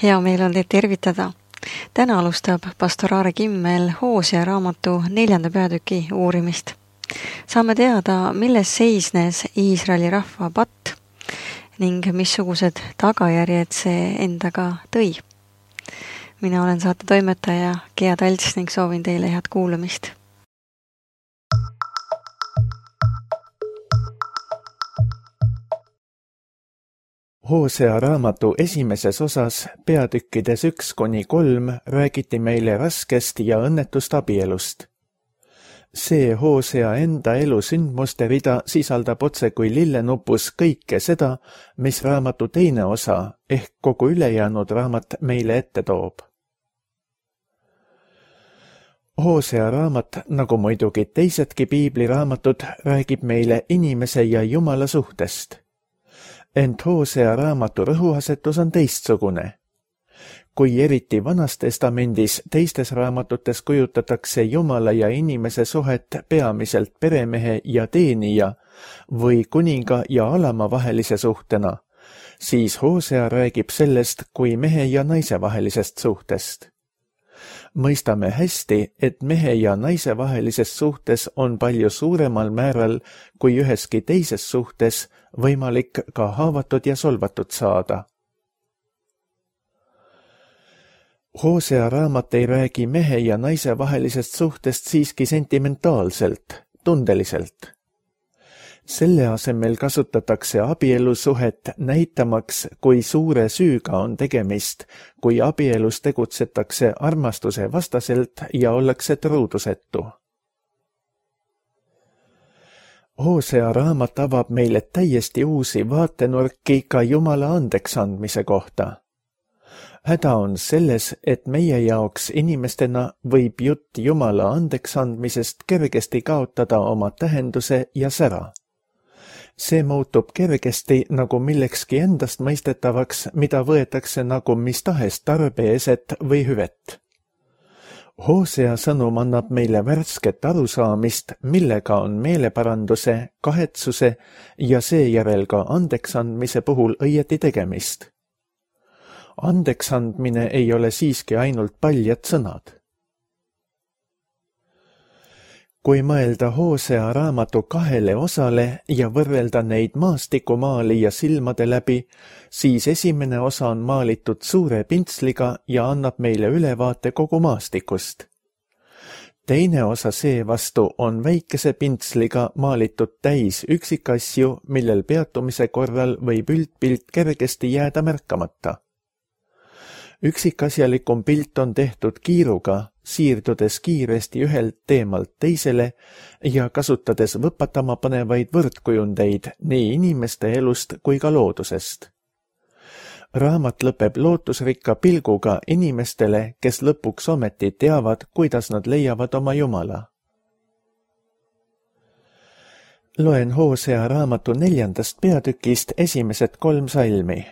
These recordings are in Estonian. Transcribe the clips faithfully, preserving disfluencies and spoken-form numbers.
Hea meel on teid tervitada. Täna alustab pastor Aare Kimmel Hoosea raamatu neljanda peatüki uurimist. Saame teada, milles seisnes Iisraeli rahva patt ning missugused tagajärjed see endaga tõi. Mina olen saate toimetaja Gea Talts ning soovin teile head kuulamist. Hoosea raamatu esimeses osas peatükkides üks kuni kolm räägiti meile raskest ja õnnetust abielust. See Hoosea enda elu sündmuste rida sisaldab otse kui lillenupus kõike seda, mis raamatu teine osa ehk kogu ülejäänud raamat meile ette toob. Hoosea raamat, nagu muidugi teisedki piibliraamatud, räägib meile inimese ja Jumala suhtest. Ent Hoosea raamatu rõhuasetus on teistsugune. Kui eriti Vanas Testamendis teistes raamatutes kujutatakse Jumala ja inimese suhet peamiselt peremehe ja teenija või kuninga ja alama vahelise suhtena, siis Hoosea räägib sellest kui mehe ja naise vahelisest suhtest. Mõistame hästi, et mehe ja naise vahelises suhtes on palju suuremal määral kui üheski teises suhtes võimalik ka haavatud ja solvatud saada. Hoosea raamat ei räägi mehe ja naise vahelisest suhtest siiski sentimentaalselt, tundeliselt. Selle asemel kasutatakse abielusuhet näitamaks, kui suure süüga on tegemist, kui abielus tegutsetakse armastuse vastaselt ja ollakse truudusetu. Hoosea raamat avab meile täiesti uusi vaatenurki ka Jumala andeksandmise kohta. Häda on selles, et meie jaoks inimestena võib jutt Jumala andeksandmisest kergesti kaotada oma tähenduse ja sära. See muutub kergesti nagu millekski endast mõistetavaks, mida võetakse nagu mis tahes tarbeeset või hüvet. Hoosea sõnum annab meile värsket arusaamist, millega on meeleparanduse, kahetsuse ja seejärel ka andeksandmise puhul õieti tegemist. Andeksandmine ei ole siiski ainult paljad sõnad. Kui mõelda Hoosea raamatu kahele osale ja võrrelda neid maastikumaali ja silmade läbi, siis esimene osa on maalitud suure pintsliga ja annab meile ülevaate kogu maastikust. Teine osa seevastu on väikese pintsliga maalitud täis üksikasju, millel peatumise korral võib üldpilt kergesti jääda märkamata. Üksikasjalikum pilt on tehtud kiiruga, siirdudes kiiresti ühelt teemalt teisele ja kasutades võpatama panevaid võrdkujundeid nii inimeste elust kui ka loodusest. Raamat lõpeb lootusrikka pilguga inimestele, kes lõpuks ometi teavad, kuidas nad leiavad oma Jumala. Loen Hoosea raamatu neljandast peatükist esimesed kolm salmi.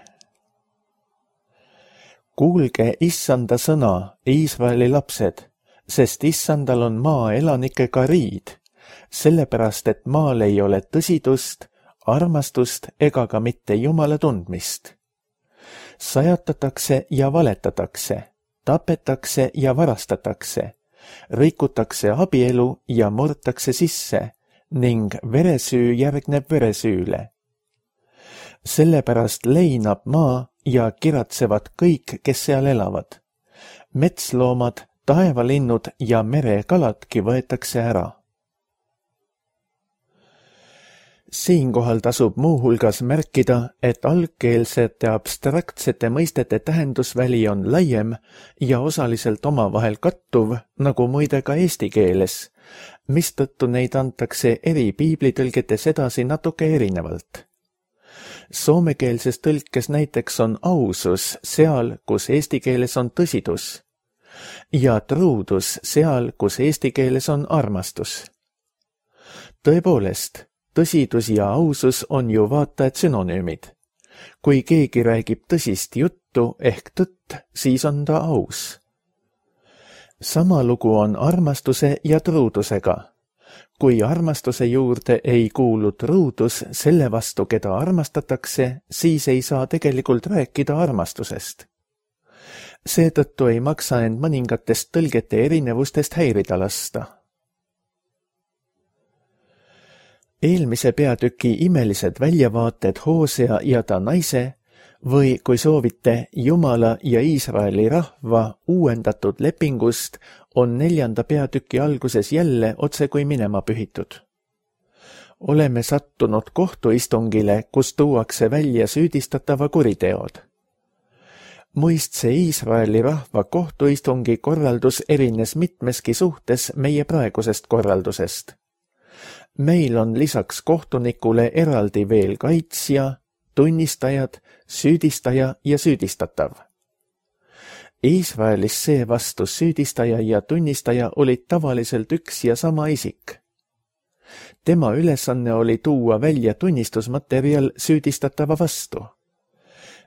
Kuulge issanda sõna, Iisraeli lapsed, sest issandal on maa elanikega riid, sellepärast et maal ei ole tõsidust, armastust ega ka mitte Jumala tundmist. Sajatatakse ja valetatakse, tapetakse ja varastatakse, rikutakse abielu ja murtakse sisse ning veresüü järgneb veresüüle. Sellepärast leinab maa ja kiratsevad kõik, kes seal elavad. Metsloomad, taevalinnud ja merekaladki võetakse ära. Siinkohal tasub muuhulgas märkida, et algkeelsete abstraktsete mõistete tähendusväli on laiem ja osaliselt omavahel kattuv, nagu muide ka eesti keeles, mistõttu neid antakse eri piiblitõlgetes edasi natuke erinevalt. Soomekeelses tõlkes näiteks on ausus seal, kus eesti keeles on tõsidus, ja truudus seal, kus eesti keeles on armastus. Tõepoolest, tõsidus ja ausus on ju vaata et sünonüümid. Kui keegi räägib tõsist juttu ehk tõtt, siis on ta aus. Sama lugu on armastuse ja truudusega. Kui armastuse juurde ei kuulu truudus selle vastu, keda armastatakse, siis ei saa tegelikult rääkida armastusest. Seetõttu ei maksa end mõningatest tõlgete erinevustest häirida lasta. Eelmise peatüki imelised väljavaated Hoosea ja ta naise või, kui soovite, Jumala ja Iisraeli rahva uuendatud lepingust on neljanda peatüki alguses jälle otse kui minema pühitud. Oleme sattunud kohtuistungile, kus tuuakse välja süüdistatava kuriteod. Muistse Iisraeli rahva kohtuistungi korraldus erines mitmeski suhtes meie praegusest korraldusest. Meil on lisaks kohtunikule eraldi veel kaitsja, tunnistajad, süüdistaja ja süüdistatav. Iisraelis seevastu süüdistaja ja tunnistaja olid tavaliselt üks ja sama isik. Tema ülesanne oli tuua välja tunnistusmaterjal süüdistatava vastu.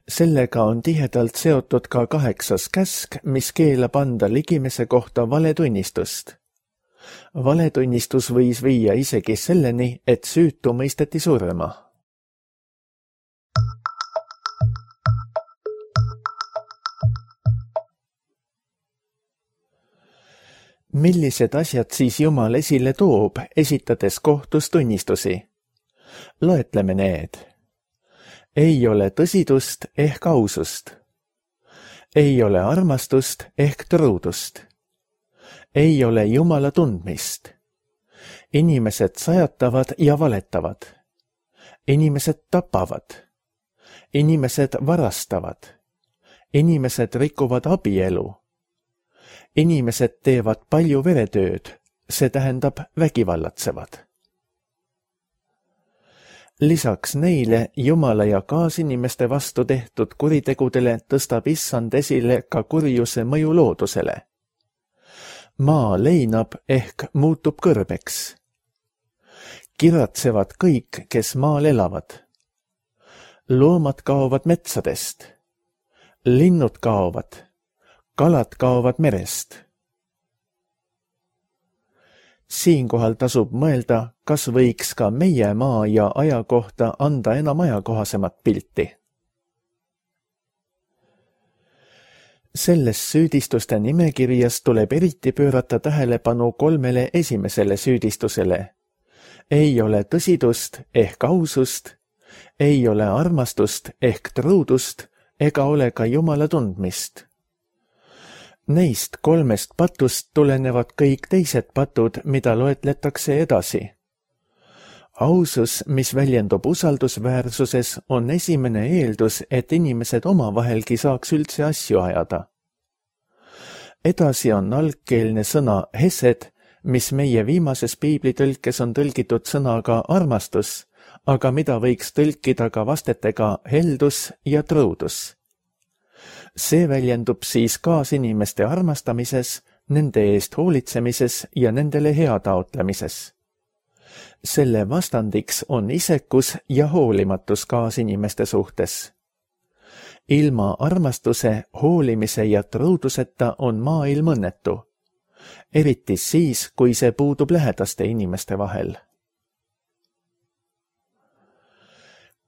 Sellega on tihedalt seotud ka kaheksas käsk, mis keelab anda ligimese kohta valetunnistust. Valetunnistus võis viia isegi selleni, et süütu mõisteti surma. Millised asjad siis Jumal esile toob, esitades kohtus tunnistusi? Loetleme need. Ei ole tõsidust ehk ausust. Ei ole armastust ehk truudust. Ei ole Jumala tundmist. Inimesed sajatavad ja valetavad. Inimesed tapavad. Inimesed varastavad. Inimesed rikuvad abielu. Inimesed teevad palju veretööd, see tähendab vägivallatsevad. Lisaks neile Jumala ja kaasinimeste vastu tehtud kuritegudele tõstab Issand esile ka kurjuse mõju loodusele. Maa leinab ehk muutub kõrbeks. Kiratsevad kõik, kes maal elavad. Loomad kaovad metsadest. Linnud kaovad. Kalad kaovad merest. Siinkohal tasub mõelda, kas võiks ka meie maa ja aja kohta anda enam ajakohasemat pilti. Selles süüdistuste nimekirjas tuleb eriti pöörata tähelepanu kolmele esimesele süüdistusele. Ei ole tõsidust ehk ausust, ei ole armastust ehk truudust ega ole ka Jumala tundmist. Neist kolmest patust tulenevad kõik teised patud, mida loetletakse edasi. Ausus, mis väljendub usaldusväärsuses, on esimene eeldus, et inimesed omavahelgi saaks üldse asju ajada. Edasi on algkeelne sõna hesed, mis meie viimases piiblitõlkes on tõlgitud sõnaga armastus, aga mida võiks tõlkida ka vastetega heldus ja truudus. See väljendub siis kaasinimeste armastamises, nende eest hoolitsemises ja nendele hea taotlemises. Selle vastandiks on isekus ja hoolimatus kaasinimeste suhtes. Ilma armastuse, hoolimise ja truuduseta on maailm õnnetu, eriti siis, kui see puudub lähedaste inimeste vahel.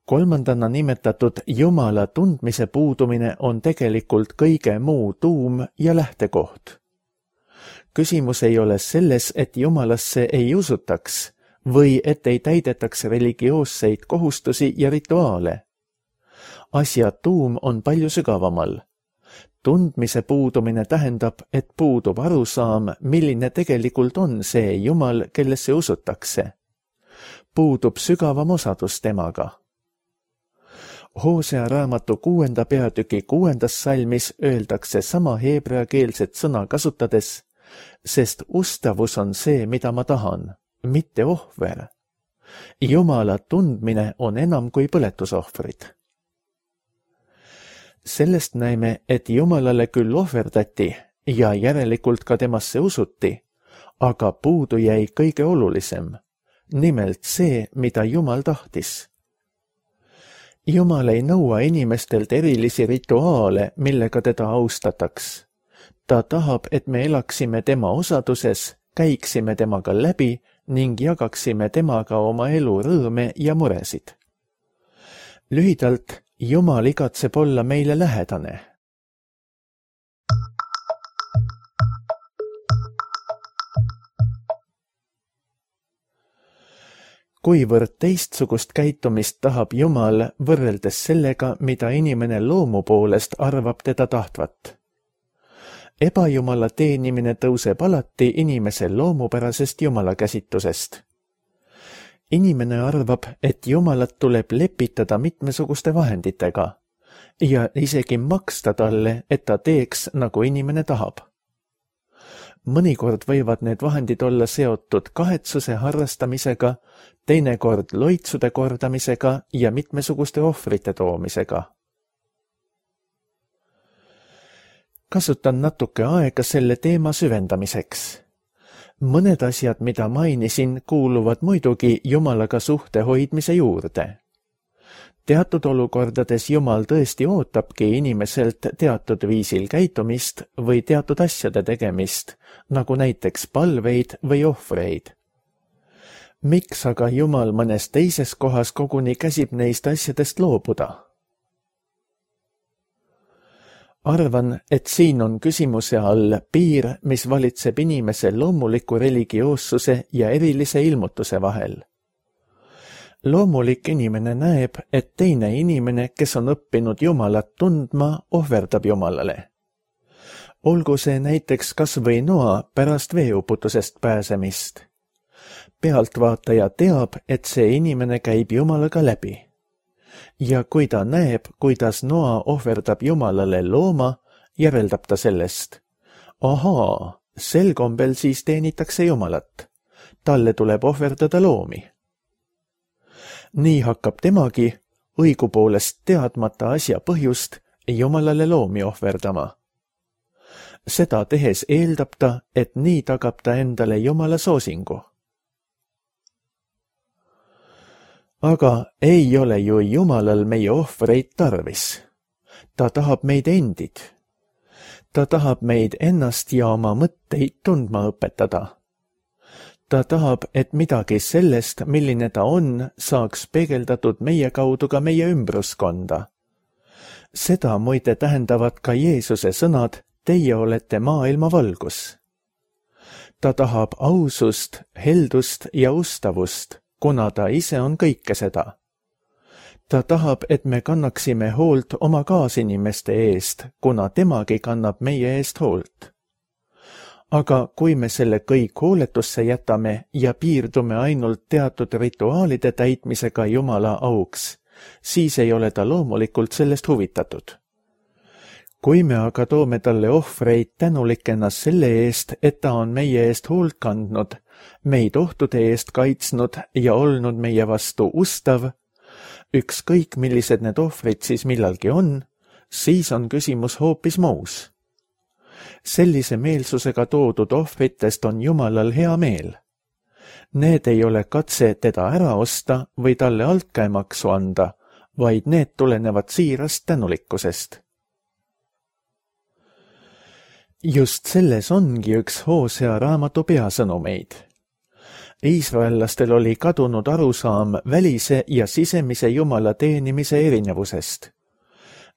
Kolmandana nimetatud Jumala tundmise puudumine on tegelikult kõige muu tuum ja lähtekoht. Küsimus ei ole selles, et Jumalasse ei usutaks või et ei täidetaks religioosseid kohustusi ja rituaale. Asja tuum on palju sügavamal. Tundmise puudumine tähendab, et puudub arusaam, milline tegelikult on see Jumal, kellesse usutakse. Puudub sügavam osadus temaga. Hoosea raamatu kuuenda peatüki kuuendas salmis öeldakse sama heebreakeelset sõna kasutades, sest ustavus on see, mida ma tahan, mitte ohver. Jumala tundmine on enam kui põletusohvrid. Sellest näeme, et Jumalale küll ohverdati ja järelikult ka temasse usuti, aga puudu jäi kõige olulisem, nimelt see, mida Jumal tahtis. Jumal ei nõua inimestelt erilisi rituaale, millega teda austataks. Ta tahab, et me elaksime tema osaduses, käiksime temaga läbi ning jagaksime temaga oma elu rõõme ja muresid. Lühidalt, Jumal igatseb olla meile lähedane. kuivõrd teistsugust käitumist tahab Jumal võrreldes sellega, mida inimene loomu poolest arvab teda tahtvat. Ebajumala teenimine tõuseb alati inimese loomupärasest Jumala käsitusest. Inimene arvab, et Jumalat tuleb lepitada mitmesuguste vahenditega ja isegi maksta talle, et ta teeks, nagu inimene tahab. Mõnikord võivad need vahendid olla seotud kahetsuse harrastamisega, teinekord loitsude kordamisega ja mitmesuguste ohvrite toomisega. Kasutan natuke aega selle teema süvendamiseks. Mõned asjad, mida mainisin, kuuluvad muidugi Jumalaga suhte hoidmise juurde. Teatud olukordades Jumal tõesti ootabki inimeselt teatud viisil käitumist või teatud asjade tegemist, nagu näiteks palveid või ohvreid. Miks aga Jumal mõnes teises kohas koguni käsib neist asjadest loobuda? Arvan, et siin on küsimuse all piir, mis valitseb inimese loomuliku religioossuse ja erilise ilmutuse vahel. Loomulik inimene näeb, et teine inimene, kes on õppinud Jumalat tundma, ohverdab Jumalale. Olgu see näiteks kas või Noa pärast veeuputusest pääsemist. Pealtvaataja teab, et see inimene käib Jumalaga läbi. Ja kui ta näeb, kuidas Noa ohverdab Jumalale looma, järeldab ta sellest. Ahaa, sel kombel siis teenitakse Jumalat. Talle tuleb ohverdada loomi. Nii hakkab temagi, õigupoolest teadmata asja põhjust, Jumalale loomi ohverdama. Seda tehes eeldab ta, et nii tagab ta endale Jumala soosingu. Aga ei ole ju Jumalal meie ohvreid tarvis. Ta tahab meid endid. Ta tahab meid ennast ja oma mõtteid tundma õpetada. Ta tahab, et midagi sellest, milline ta on, saaks peegeldatud meie kaudu ka meie ümbruskonda. Seda muide tähendavad ka Jeesuse sõnad, teie olete maailma valgus. Ta tahab ausust, heldust ja ustavust, kuna ta ise on kõike seda. Ta tahab, et me kannaksime hoolt oma kaasinimeste eest, kuna temagi kannab meie eest hoolt. Aga kui me selle kõik hooletusse jätame ja piirdume ainult teatud rituaalide täitmisega Jumala auks, siis ei ole ta loomulikult sellest huvitatud. Kui me aga toome talle ohvreid tänulikena selle eest, et ta on meie eest hoolt kandnud, meid ohtude eest kaitsnud ja olnud meie vastu ustav, ükskõik millised need ohvrid siis millalgi on, siis on küsimus hoopis muus. Sellise meelsusega toodud ohvritest on Jumalal hea meel. Need ei ole katse teda ära osta või talle altkäemaksu anda, vaid need tulenevad siirast tänulikkusest. Just selles ongi üks Hoosea raamatu peasõnumeid. Iisraellastel oli kadunud arusaam välise ja sisemise Jumala teenimise erinevusest.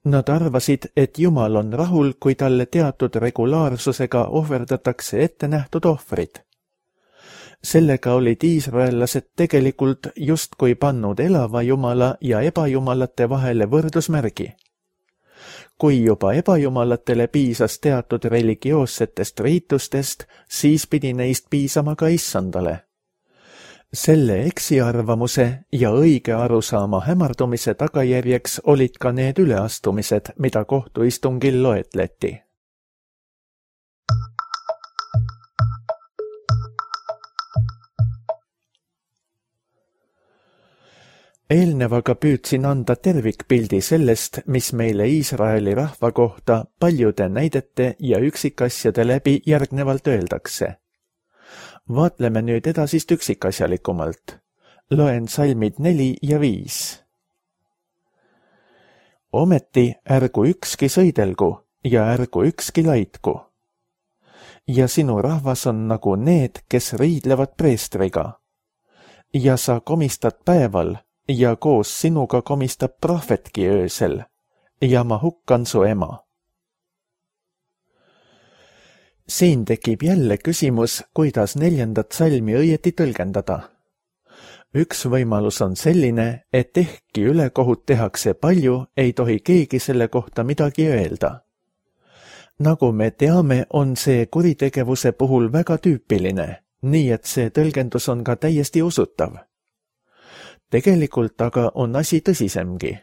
Nad arvasid, et Jumal on rahul, kui talle teatud regulaarsusega ohverdatakse ette nähtud ohvrid. Sellega olid iisraellased tegelikult justkui pannud elava Jumala ja ebajumalate vahele võrdusmärgi. Kui juba ebajumalatele piisas teatud religioossetest riitustest, siis pidi neist piisama ka issandale. Selle eksiarvamuse ja õige arusaama hämardumise tagajärjeks olid ka need üleastumised, mida kohtuistungil loetleti. Eelnevaga püüdsin anda tervikpildi sellest, mis meile Iisraeli rahva kohta paljude näidete ja üksikasjade läbi järgnevalt öeldakse. Vaatleme nüüd edasist üksikasjalikumalt. Loen salmid neli ja viis. Ometi ärgu ükski sõidelgu ja ärgu ükski laitku. Ja sinu rahvas on nagu need, kes riidlevad preestriga. Ja sa komistad päeval ja koos sinuga komistab prohvetki öösel ja ma hukkan su ema. Siin tekib jälle küsimus, kuidas neljandat salmi õieti tõlgendada. Üks võimalus on selline, et ehkki ülekohut tehakse palju, ei tohi keegi selle kohta midagi öelda. Nagu me teame, on see kuritegevuse puhul väga tüüpiline, nii et see tõlgendus on ka täiesti usutav. Tegelikult aga on asi tõsisemgi.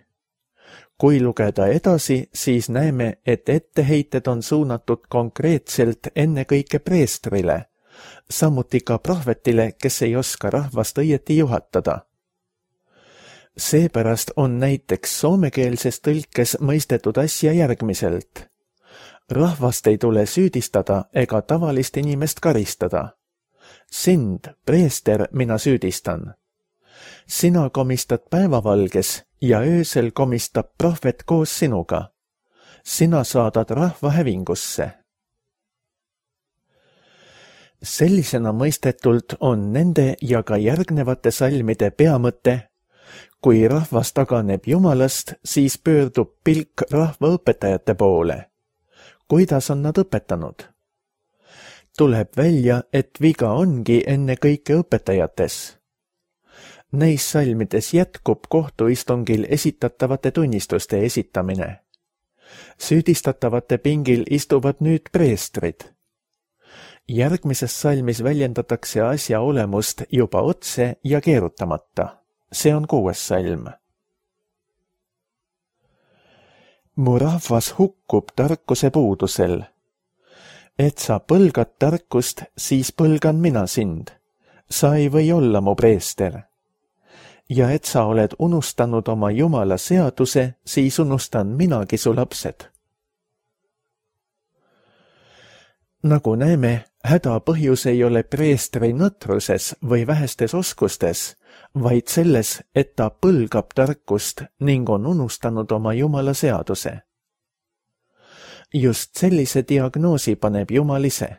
Kui lugeda edasi, siis näeme, et etteheited on suunatud konkreetselt ennekõike preestrile, samuti ka prohvetile, kes ei oska rahvast õieti juhatada. Seepärast on näiteks soomekeelses tõlkes mõistetud asja järgmiselt. Rahvast ei tule süüdistada ega tavalist inimest karistada. Sind, preester, mina süüdistan. Sina komistad päevavalges ja öösel komistab prohvet koos sinuga. Sina saadad rahva hävingusse. Sellisena mõistetult on nende ja ka järgnevate salmide peamõte. Kui rahvas taganeb Jumalast, siis pöördub pilk rahva õpetajate poole. Kuidas on nad õpetanud? Tuleb välja, et viga ongi enne kõike õpetajates. Neis salmides jätkub kohtuistungil esitatavate tunnistuste esitamine. Süüdistatavate pingil istuvad nüüd preestrid. Järgmises salmis väljendatakse asja olemust juba otse ja keerutamata. See on kuues salm. Mu rahvas hukkub tarkuse puudusel. Et sa põlgad tarkust, siis põlgan mina sind. Sa ei või olla mu preester. Ja et sa oled unustanud oma Jumala seaduse, siis unustan minagi su lapsed. Nagu näeme, häda põhjus ei ole preestri nõtruses või vähestes oskustes, vaid selles, et ta põlgab tarkust ning on unustanud oma Jumala seaduse. Just sellise diagnoosi paneb Jumal ise.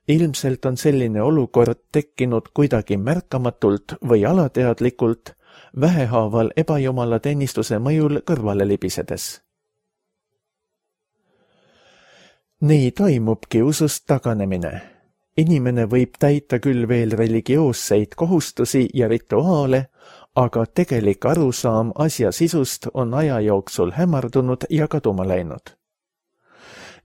Ilmselt on selline olukord tekkinud kuidagi märkamatult või alateadlikult, vähehaaval ebajumala teenistuse mõjul kõrvale libisedes. Nii toimubki usust taganemine. Inimene võib täita küll veel religioosseid kohustusi ja rituaale, aga tegelik arusaam asja sisust on aja jooksul hämardunud ja kaduma läinud.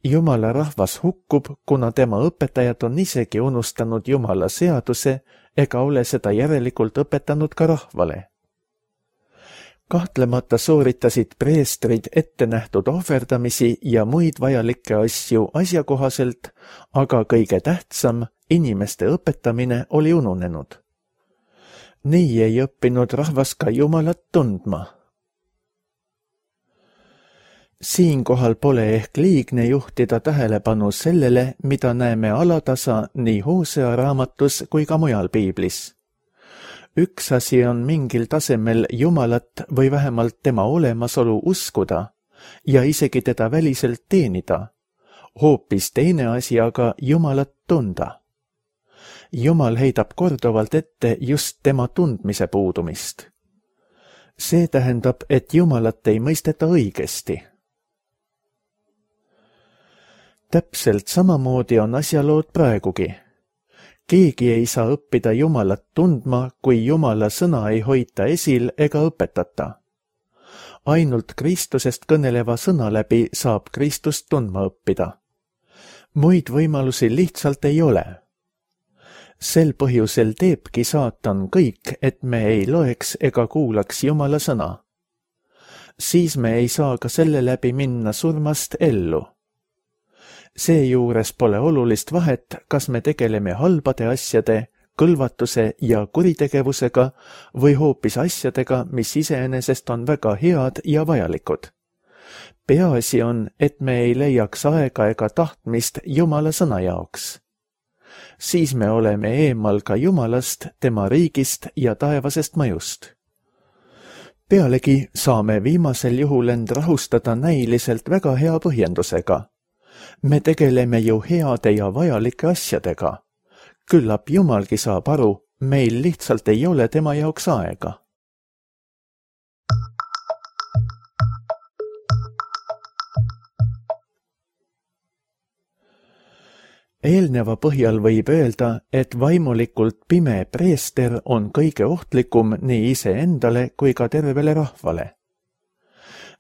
Jumala rahvas hukkub, kuna tema õpetajad on isegi unustanud Jumala seaduse ega ole seda järelikult õpetanud ka rahvale. Kahtlemata sooritasid preestrid ette nähtud ohverdamisi ja muid vajalikke asju asjakohaselt, aga kõige tähtsam, inimeste õpetamine oli ununenud. Nii ei õppinud rahvas ka Jumalat tundma. Siinkohal pole ehk liigne juhtida tähelepanu sellele, mida näeme alatasa nii Hoosea raamatus kui ka mujal piiblis. Üks asi on mingil tasemel Jumalat või vähemalt tema olemasolu uskuda ja isegi teda väliselt teenida. Hoopis teine asi aga Jumalat tunda. Jumal heidab korduvalt ette just tema tundmise puudumist. See tähendab, et Jumalat ei mõisteta õigesti. Täpselt samamoodi on asjalood praegugi. Keegi ei saa õppida Jumalat tundma, kui Jumala sõna ei hoita esil ega õpetata. Ainult Kristusest kõneleva sõna läbi saab Kristust tundma õppida. Muid võimalusi lihtsalt ei ole. Sel põhjusel teebki saatan kõik, et me ei loeks ega kuulaks Jumala sõna. Siis me ei saa ka selle läbi minna surmast ellu. Seejuures pole olulist vahet, kas me tegeleme halbade asjade, kõlvatuse ja kuritegevusega või hoopis asjadega, mis iseenesest on väga head ja vajalikud. Peaasi on, et me ei leiaks aega ega tahtmist Jumala sõna jaoks. Siis me oleme eemal ka Jumalast, tema riigist ja taevasest mõjust. Pealegi saame viimasel juhul end rahustada näiliselt väga hea põhjendusega. Me tegeleme ju heade ja vajalike asjadega. Küllap Jumalgi saab aru, meil lihtsalt ei ole tema jaoks aega. Eelneva põhjal võib öelda, et vaimulikult pime preester on kõige ohtlikum nii iseendale kui ka tervele rahvale.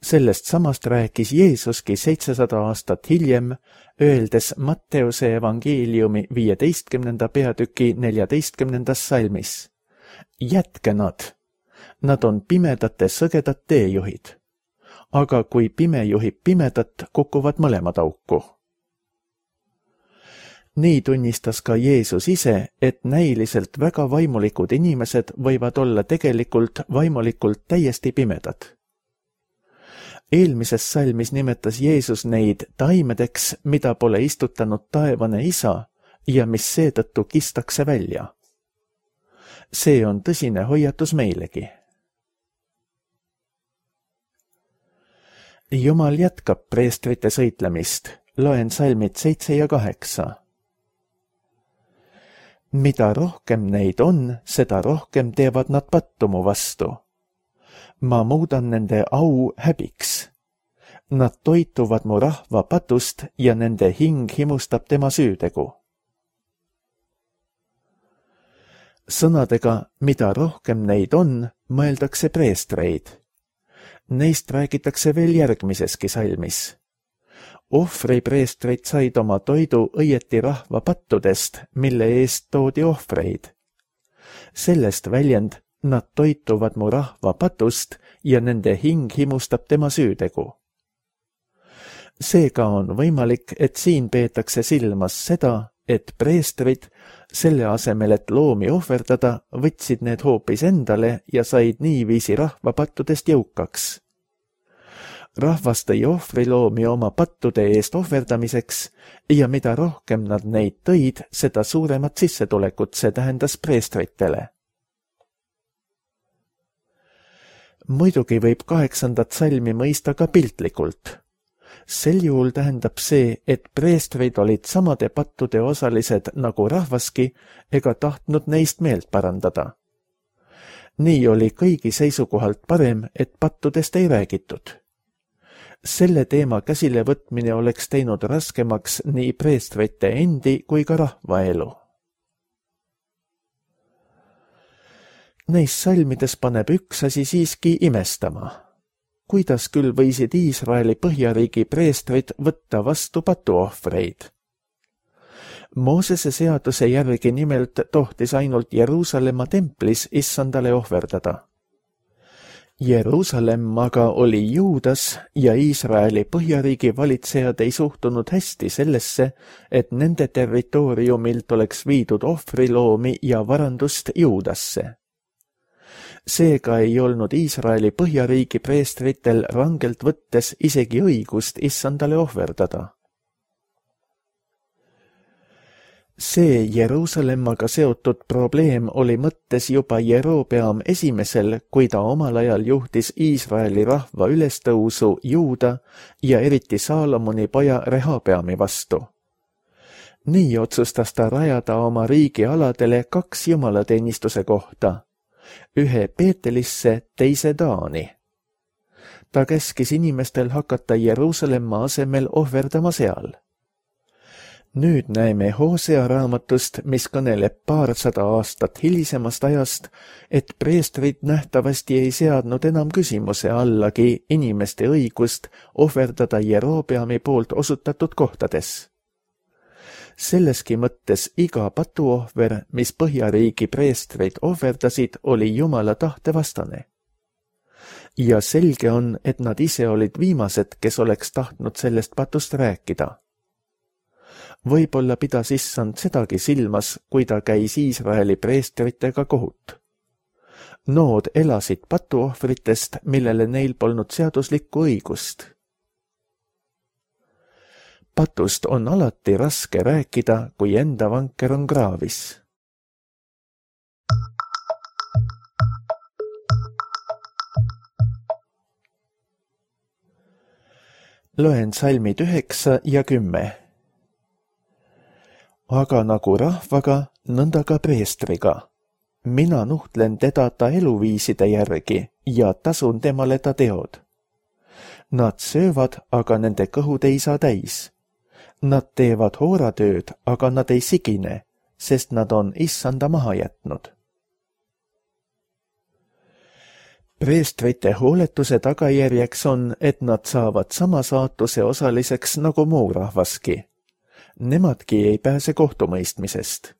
Sellest samast rääkis Jeesuski seitsesada aastat hiljem, öeldes Matteuse evangeeliumi viieteistkümnenda peatüki neljateistkümnendas salmis. Jätke nad! Nad on pimedate sõgedad teejuhid. Aga kui pime juhib pimedat, kukuvad mõlemad auku. Nii tunnistas ka Jeesus ise, et näiliselt väga vaimulikud inimesed võivad olla tegelikult vaimulikult täiesti pimedad. Eelmises salmis nimetas Jeesus neid taimedeks, mida pole istutanud taevane isa ja mis seetõttu kistakse välja. See on tõsine hoiatus meilegi. Jumal jätkab preestrite sõitlemist. Loen salmid seitse ja kaheksa. Mida rohkem neid on, seda rohkem teevad nad pattumu vastu. Ma muudan nende au häbiks. Nad toituvad mu rahva patust ja nende hing himustab tema süütegu. Sõnadega, mida rohkem neid on, mõeldakse preestreid. Neist räägitakse veel järgmiseski salmis. Ohvripreestrid said oma toidu õieti rahva pattudest, mille eest toodi ohvreid. Sellest väljend, nad toituvad mu rahva patust ja nende hing himustab tema süütegu. Seega on võimalik, et siin peetakse silmas seda, et preestrid, selle asemel, et loomi ohverdada, võtsid need hoopis endale ja said niiviisi rahva pattudest jõukaks. Rahvas tõi ohvriloomi oma pattude eest ohverdamiseks ja mida rohkem nad neid tõid, seda suuremat sissetulekut see tähendas preestritele. Muidugi võib kaheksandat salmi mõista ka piltlikult. Sel juhul tähendab see, et preestrid olid samade pattude osalised nagu rahvaski ega tahtnud neist meelt parandada. Nii oli kõigi seisukohalt parem, et pattudest ei räägitud. Selle teema käsile võtmine oleks teinud raskemaks nii preestrite endi kui ka rahvaelu. Neis salmides paneb üks asi siiski imestama. Kuidas küll võisid Iisraeli põhjariigi preestrid võtta vastu patuohvreid? Moosese seaduse järgi nimelt tohtis ainult Jeruusalemma templis issandale ohverdada. Jeruusalemm aga oli Juudas ja Iisraeli põhjariigi valitsejad ei suhtunud hästi sellesse, et nende territooriumilt oleks viidud ohvriloomi ja varandust Juudasse. Seega ei olnud Iisraeli põhjariigi preestritel rangelt võttes isegi õigust issandale ohverdada. See Jeruusalemmaga seotud probleem oli mõttes juba Jerobeam esimesel, kui ta omal ajal juhtis Iisraeli rahva ülestõusu Juuda ja eriti Saalomoni poja Rehabeami vastu. Nii otsustas ta rajada oma riigi aladele kaks jumalateenistuse kohta, ühe Peetelisse, teise Taani. Ta käskis inimestel hakata Jeruusalemma asemel ohverdama seal. Nüüd näeme Hosea raamatust, mis kõneleb paarsada aastat hilisemast ajast, et preestrid nähtavasti ei seadnud enam küsimuse allagi inimeste õigust ohverdada Jerobeami poolt osutatud kohtades. Selleski mõttes iga patuohver, mis põhjariigi preestrid ohverdasid, oli Jumala tahte vastane. Ja selge on, et nad ise olid viimased, kes oleks tahtnud sellest patust rääkida. Võib-olla pidas issand sedagi silmas, kui ta käis Iisraeli preestritega kohut. Nood elasid patuohvritest, millele neil polnud seaduslikku õigust. Patust on alati raske rääkida, kui enda vanker on kraavis. Loen salmid üheksa ja kümme. Aga nagu rahvaga, nõnda ka preestriga. Mina nuhtlen teda ta eluviiside järgi ja tasun temale ta teod. Nad söövad, aga nende kõhud ei saa täis. Nad teevad hooratööd, aga nad ei sigine, sest nad on issanda maha jätnud. Preestrite hooletuse tagajärjeks on, et nad saavad sama saatuse osaliseks nagu muu rahvaski. Nemadki ei pääse kohtumõistmisest.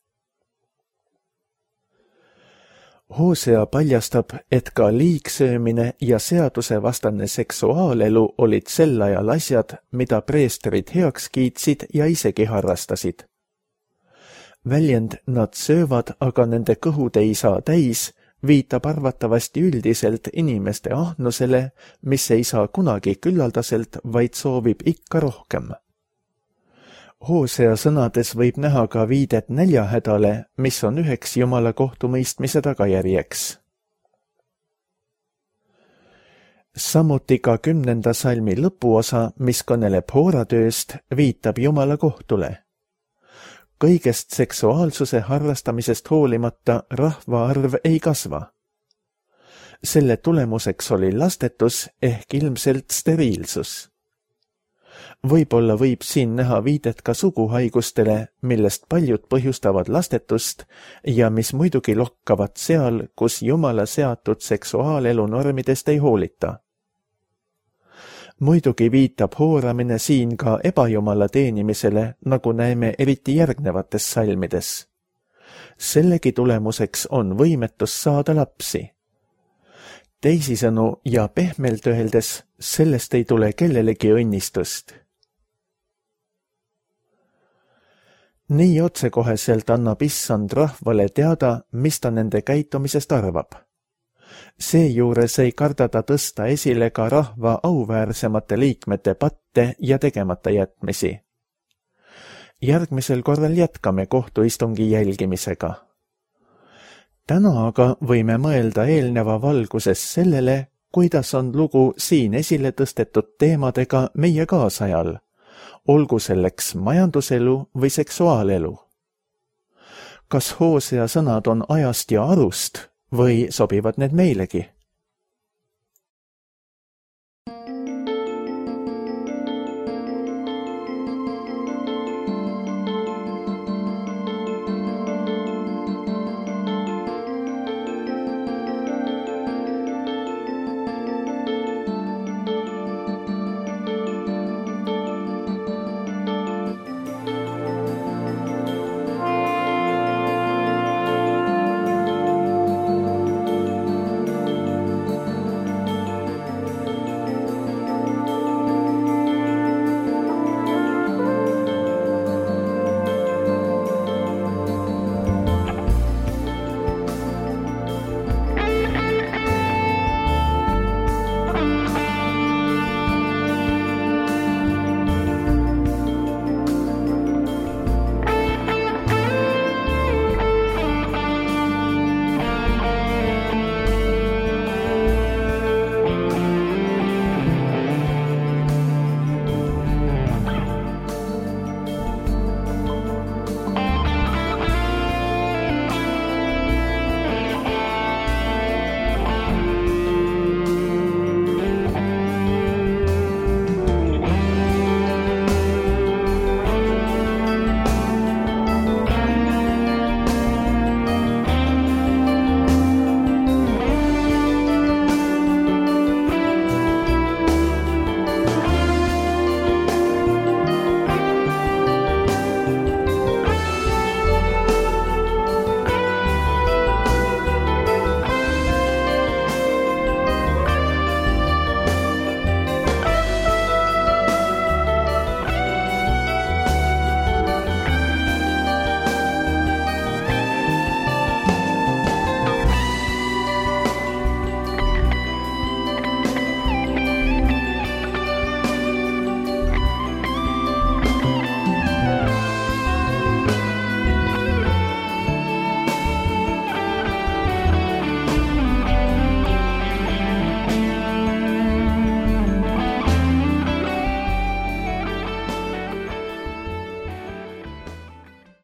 Hosea paljastab, et ka liigsöömine ja seadusevastane seksuaalelu olid sel ajal asjad, mida preestrid heaks kiitsid ja isegi harrastasid. Väljend nad söövad, aga nende kõhud ei saa täis, viitab arvatavasti üldiselt inimeste ahnusele, mis ei saa kunagi küllaldaselt, vaid soovib ikka rohkem. Hosea sõnades võib näha ka viidet näljahädale, mis on üheks Jumala kohtumõistmise tagajärjeks. Samuti ka kümnenda salmi lõpuosa, mis kõneleb hooratööst, viitab Jumala kohtule. Kõigest seksuaalsuse harrastamisest hoolimata rahvaarv ei kasva. Selle tulemuseks oli lastetus ehk ilmselt steriilsus. Võib-olla võib siin näha viidet ka suguhaigustele, millest paljud põhjustavad lastetust ja mis muidugi lokkavad seal, kus Jumala seatud seksuaalelu normidest ei hoolita. Muidugi viitab hooramine siin ka ebajumala teenimisele, nagu näeme eriti järgnevates salmides. Sellegi tulemuseks on võimetus saada lapsi. Teisisõnu ja pehmelt öeldes, sellest ei tule kellelegi õnnistust. Nii otsekoheselt annab issand rahvale teada, mis ta nende käitumisest arvab. Seejuures ei karda ta tõsta esile ka rahva auväärsemate liikmete patte ja tegemata jätmisi. Järgmisel korral jätkame kohtuistungi jälgimisega. Täna aga võime mõelda eelneva valguses sellele, kuidas on lugu siin esile tõstetud teemadega meie kaasajal, olgu selleks majanduselu või seksuaalelu. Kas Hosea sõnad on ajast ja arust või sobivad need meilegi?